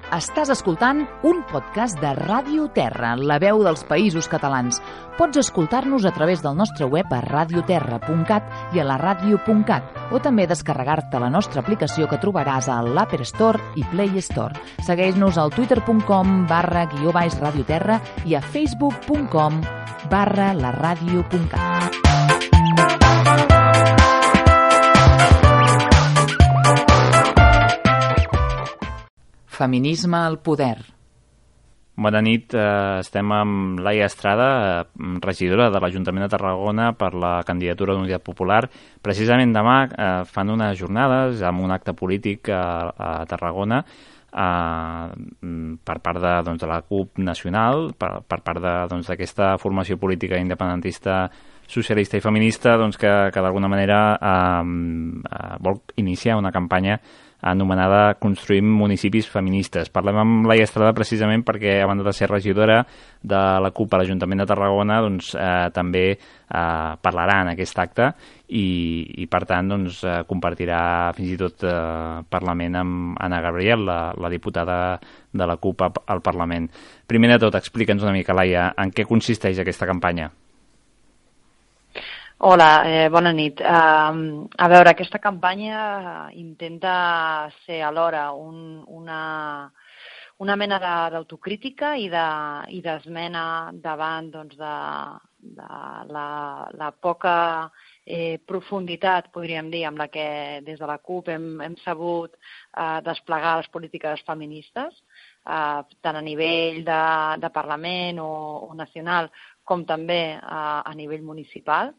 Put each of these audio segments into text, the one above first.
Estàs escoltant un podcast de Ràdio Terra, la veu dels Països Catalans. Pots escoltar-nos a través del nostre web a radioterra.cat i a la ràdio.cat, o també descarregar-te la nostra aplicació que trobaràs a l'Apple Store i Play Store. Segueix-nos al twitter.com/radioterra i a facebook.com/laradio.cat. Feminisme al poder. Bona nit, estem amb Laia Estrada, regidora de l'Ajuntament de Tarragona per la candidatura d'Unitat Popular. Precisament demà fan unes jornades amb un acte polític a Tarragona per part de la CUP nacional, per part d'aquesta formació política independentista, socialista i feminista, que d'alguna manera vol iniciar una campanya anomenada Construïm municipis feministes. Parlem amb Laia Estrada precisament perquè, a banda de ser regidora de la CUP a l'Ajuntament de Tarragona, també parlarà en aquest acte i per tant, compartirà fins i tot Parlament amb Anna Gabriel, la diputada de la CUP al Parlament. Primer de tot, explica'ns una mica, Laia, en què consisteix aquesta campanya? Hola, bona nit. A veure, aquesta campanya intenta ser alhora una mena d'autocrítica i d'esmena davant de la poca profunditat, podríem dir, amb la que des de la CUP hem sabut desplegar les polítiques feministes, tant a nivell de Parlament o nacional, com també a nivell municipal,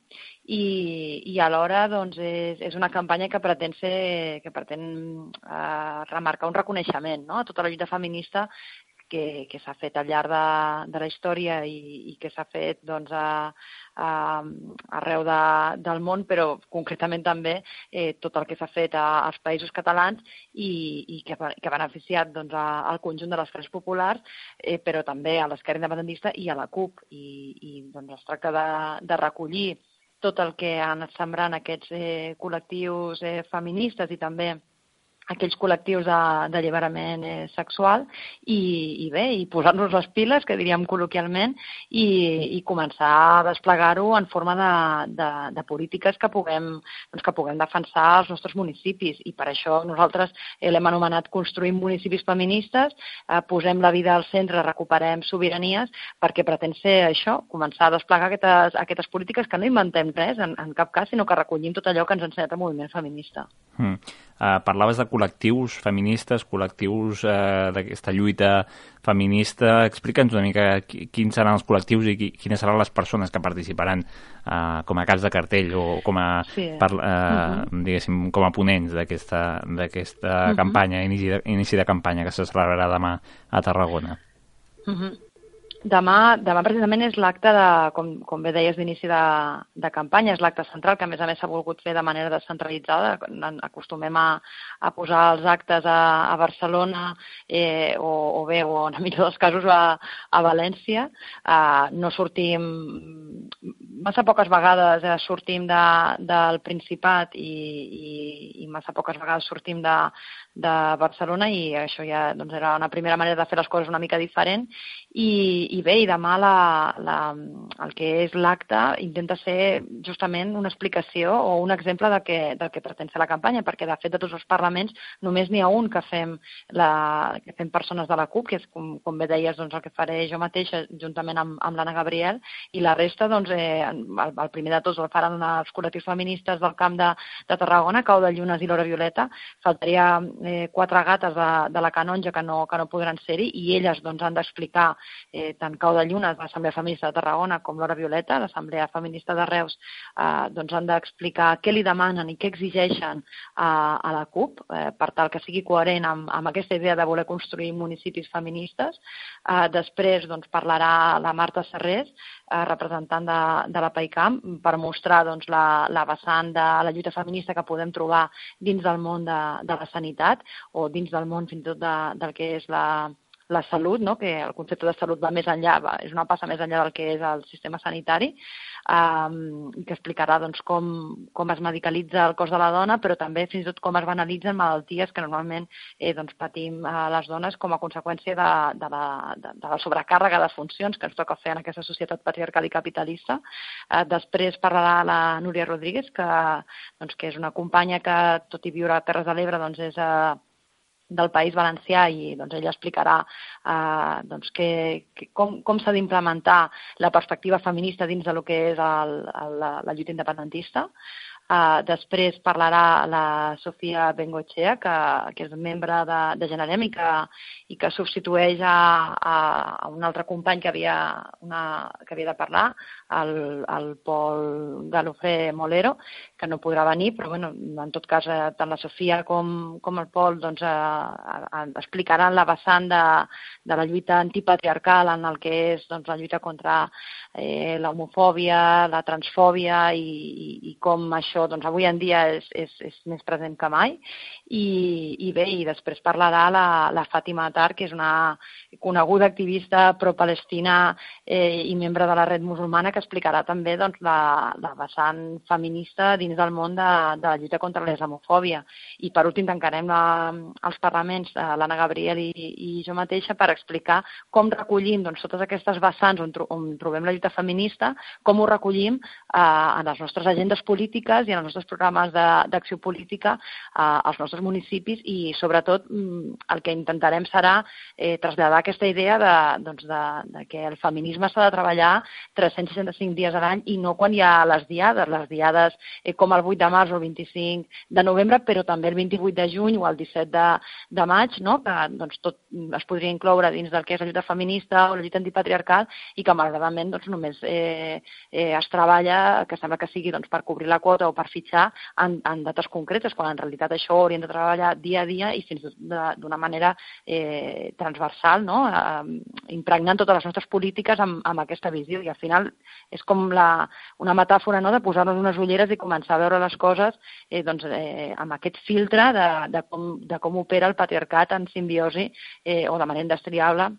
i alhora és una campanya que pretén remarcar un reconeixement, no?, a tota la lluita feminista que s'ha fet al llarg de la història i que s'ha fet arreu del món, però concretament també tot el que s'ha fet als Països Catalans i que ha beneficiat al conjunt de les classes populars, però també a l'esquerra independentista i a la CUP. I es tracta de recollir tot el que han anat sembrant aquests col·lectius feministes i també aquells col·lectius d'alliberament sexual i posar-nos les piles, que diríem col·loquialment, i començar a desplegar-ho en forma de polítiques que puguem defensar als nostres municipis. I per això nosaltres l'hem anomenat Construïm municipis feministes, posem la vida al centre, recuperem sobiranies, perquè pretén ser això, començar a desplegar aquestes polítiques que no inventem res en cap cas, sinó que recollim tot allò que ens ha ensenyat el moviment feminista. Parlaves de col·lectius feministes, col·lectius d'aquesta lluita feminista. Explica'ns una mica quins seran els col·lectius i quines seran les persones que participaran com a caps de cartell o com a ponents d'aquesta campanya, inici de campanya que se celebrarà demà a Tarragona. Demà precisament és l'acte com bé deies, d'inici de campanya, és l'acte central, que a més s'ha volgut fer de manera descentralitzada. Acostumem a posar els actes a Barcelona o en el millor dels casos a València. No sortim, massa poques vegades sortim del Principat i massa poques vegades sortim de Barcelona, i això ja era una primera manera de fer les coses una mica diferent. I demà el que és l'acte intenta ser justament una explicació o un exemple del que pretén ser la campanya, perquè de fet de tots els parlaments només n'hi ha un que fem persones de la CUP, que és, com bé deies, el que faré jo mateixa juntament amb l'Anna Gabriel, i la resta, el primer de tots el faran els col·lectius feministes del Camp de Tarragona, Cau de Llunes i l'Hora Violeta. Faltaria 4 gates de la Canonja que no podran ser-hi, i elles han d'explicar tant Cau de Llunes, l'Assemblea Feminista de Tarragona, com l'Hora Violeta, l'Assemblea Feminista de Reus, han d'explicar què li demanen i què exigeixen a la CUP per tal que sigui coherent amb aquesta idea de voler construir municipis feministes. Després parlarà la Marta Serrés, representant de la PAICAM, per mostrar la vessant de la lluita feminista que podem trobar dins del món de la sanitat o dins del món fins i tot del que és la salut, no? Que el concepte de salut va més enllà, és una passa més enllà del que és el sistema sanitari, i que explicarà doncs, com es medicalitza el cos de la dona, però també fins i tot com es banalitzen malalties que normalment doncs, patim les dones com a conseqüència de la sobrecàrrega de funcions que ens toca fer en aquesta societat patriarcal i capitalista. Després parlarà la Núria Rodríguez, que és una companya que, tot i viure a Terres de l'Ebre, doncs és del País Valencià i doncs, ella explicarà com s'ha d'implementar la perspectiva feminista dins del que és la lluita independentista. Després parlarà la Sofia Bengoechea, que és membre de Generem i que substitueix a un altre company que havia de parlar, el Pol Galofré Molero, que no podrà venir, però bueno, en tot cas tant la Sofia com el Pol doncs, explicaran la vessant de la lluita antipatriarcal en el que és doncs, la lluita contra l'homofòbia, la transfòbia i com això doncs, avui en dia és més present que mai. I bé, i després parlarà la Fàtima Attar, que és una coneguda activista pro-palestina i membre de la Red Musulmana, que explicarà també doncs, la vessant feminista dins del món de la lluita contra la islamofòbia. I per últim tancarem els parlaments, l'Anna Gabriel i jo mateixa, per explicar com recollim doncs, totes aquestes vessants on trobem la lluita feminista, com ho recollim en les nostres agendes polítiques i en els nostres programes d'acció política als nostres municipis i, sobretot, el que intentarem serà traslladar aquesta idea de que el feminisme s'ha de treballar 365 dies a l'any i no quan hi ha les diades com el 8 de març o el 25 de novembre, però també el 28 de juny o el 17 de maig, no? Que doncs, tot es podria incloure dins del que és la lluita feminista o la lluita antipatriarcal i que, malauradament, doncs, només es treballa, que sembla que sigui doncs, per cobrir la quota o per fitxar en dates concretes, quan en realitat això ho hauríem de treballar dia a dia i fins i tot d'una manera transversal, no? Impregnant totes les nostres polítiques amb aquesta visió. I al final és com una metàfora, no? De posar-nos unes ulleres i començar a veure les coses amb aquest filtre de com opera el patriarcat en simbiosi o de manera indestriable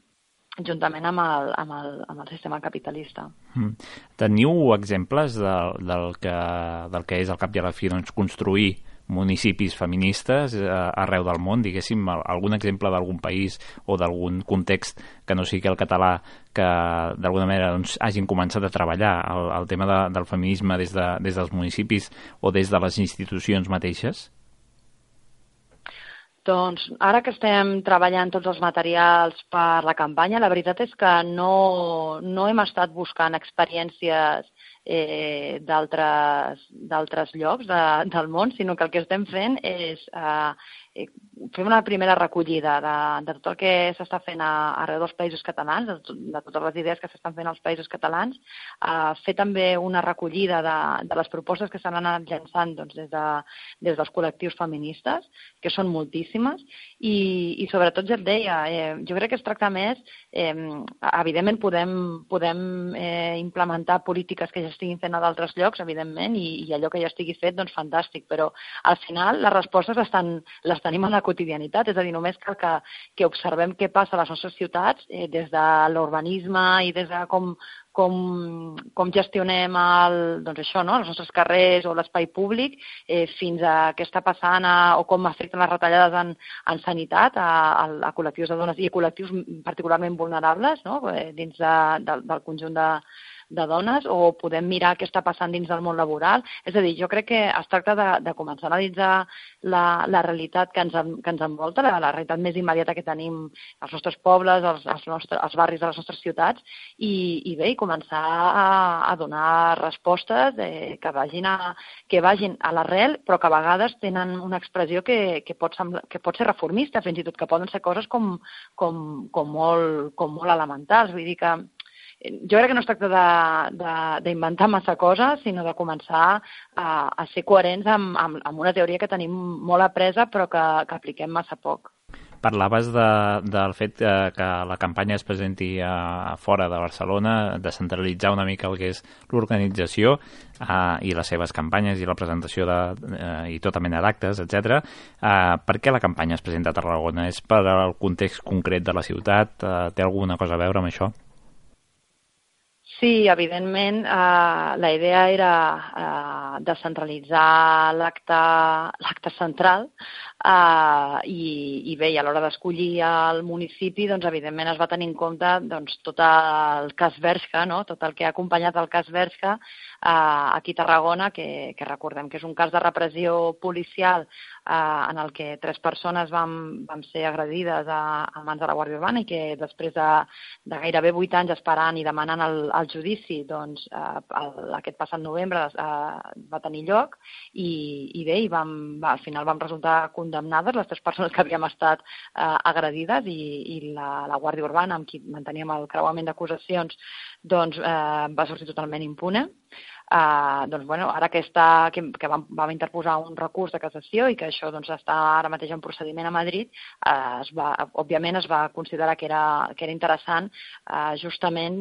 juntament amb el sistema capitalista. Teniu exemples del que és al cap i a la fi doncs, construir municipis feministes arreu del món, diguéssim, algun exemple d'algun país o d'algun context que no sigui el català que d'alguna manera doncs, hagin començat a treballar el tema del feminisme des dels municipis o des de les institucions mateixes? Doncs ara que estem treballant tots els materials per la campanya, la veritat és que no hem estat buscant experiències d'altres llocs del món, sinó que el que estem fent és fer una primera recollida de tot el que s'està fent arreu dels països catalans, de totes les idees que s'estan fent als països catalans, fer també una recollida de les propostes que s'han anat llançant doncs, des dels col·lectius feministes, que són moltíssimes, i sobretot, ja et deia, jo crec que es tracta més, evidentment podem implementar polítiques que ja estiguin fent a d'altres llocs, evidentment, i allò que ja estigui fet, doncs fantàstic, però al final les respostes les tenim en la quotidianitat, és a dir, només cal que observem què passa a les nostres ciutats des de l'urbanisme i des de com gestionem doncs això, no? Els nostres carrers o l'espai públic fins a què està passant o com afecten les retallades en sanitat a col·lectius de dones i a col·lectius particularment vulnerables, no? Dins del conjunt de dones, o podem mirar què està passant dins del món laboral. És a dir, jo crec que es tracta de començar a analitzar la realitat que ens envolta, la realitat més immediata que tenim als nostres pobles, als barris de les nostres ciutats, i bé, començar a donar respostes que vagin a l'arrel, però que a vegades tenen una expressió que pot ser reformista, fins i tot, que poden ser coses com molt elementals. Vull dir que jo crec que no es tracta d'inventar massa coses, sinó de començar a ser coherents amb una teoria que tenim molt apresa però que apliquem massa poc. Parlaves del fet que la campanya es presenti fora de Barcelona, descentralitzar una mica el que és l'organització i les seves campanyes i la presentació i tota mena d'actes, etc. Per què la campanya es presenta a Tarragona? És per al context concret de la ciutat? Té alguna cosa a veure amb això? Sí, evidentment, la idea era descentralitzar l'acte central i bé, i a l'hora d'escollir el municipi, doncs, evidentment es va tenir en compte tot el cas Bershka, no? Tot el que ha acompanyat el cas Bershka aquí a Tarragona, que recordem que és un cas de repressió policial en el que 3 persones van ser agredides a mans de la Guàrdia Urbana i que després de gairebé 8 anys esperant i demanant el judici, doncs, aquest passat novembre va tenir lloc i bé, al final vam resultar condemnades les 3 persones que havíem estat agredides i la Guàrdia Urbana, amb qui manteníem el creuament d'acusacions, doncs va sortir totalment impune. Doncs, bueno, ara que vam interposar un recurs de cassació i que això doncs, està ara mateix en procediment a Madrid, òbviament es va considerar que era interessant justament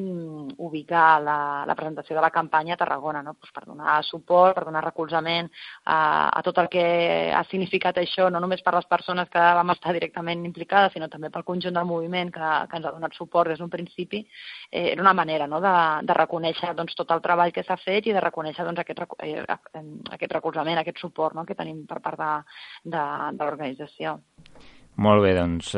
ubicar la presentació de la campanya a Tarragona, no? Pues per donar suport, per donar recolzament a tot el que ha significat això, no només per les persones que vam estar directament implicades, sinó també pel conjunt del moviment que ens ha donat suport des d'un principi. Era una manera, no?, de reconèixer doncs, tot el treball que s'ha fet i de reconèixer doncs, aquest recolzament, aquest suport, no?, que tenim per part de l'organització. Molt bé, doncs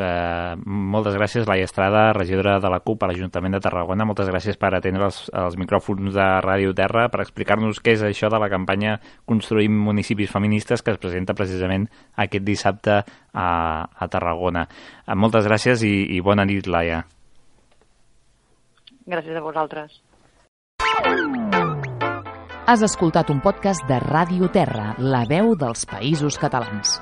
moltes gràcies, Laia Estrada, regidora de la CUP a l'Ajuntament de Tarragona. Moltes gràcies per atendre els micròfons de Ràdio Terra, per explicar-nos què és això de la campanya Construïm municipis feministes que es presenta precisament aquest dissabte a Tarragona. Moltes gràcies i bona nit, Laia. Gràcies a vosaltres. Has escoltat un podcast de Ràdio Terra, la veu dels Països Catalans.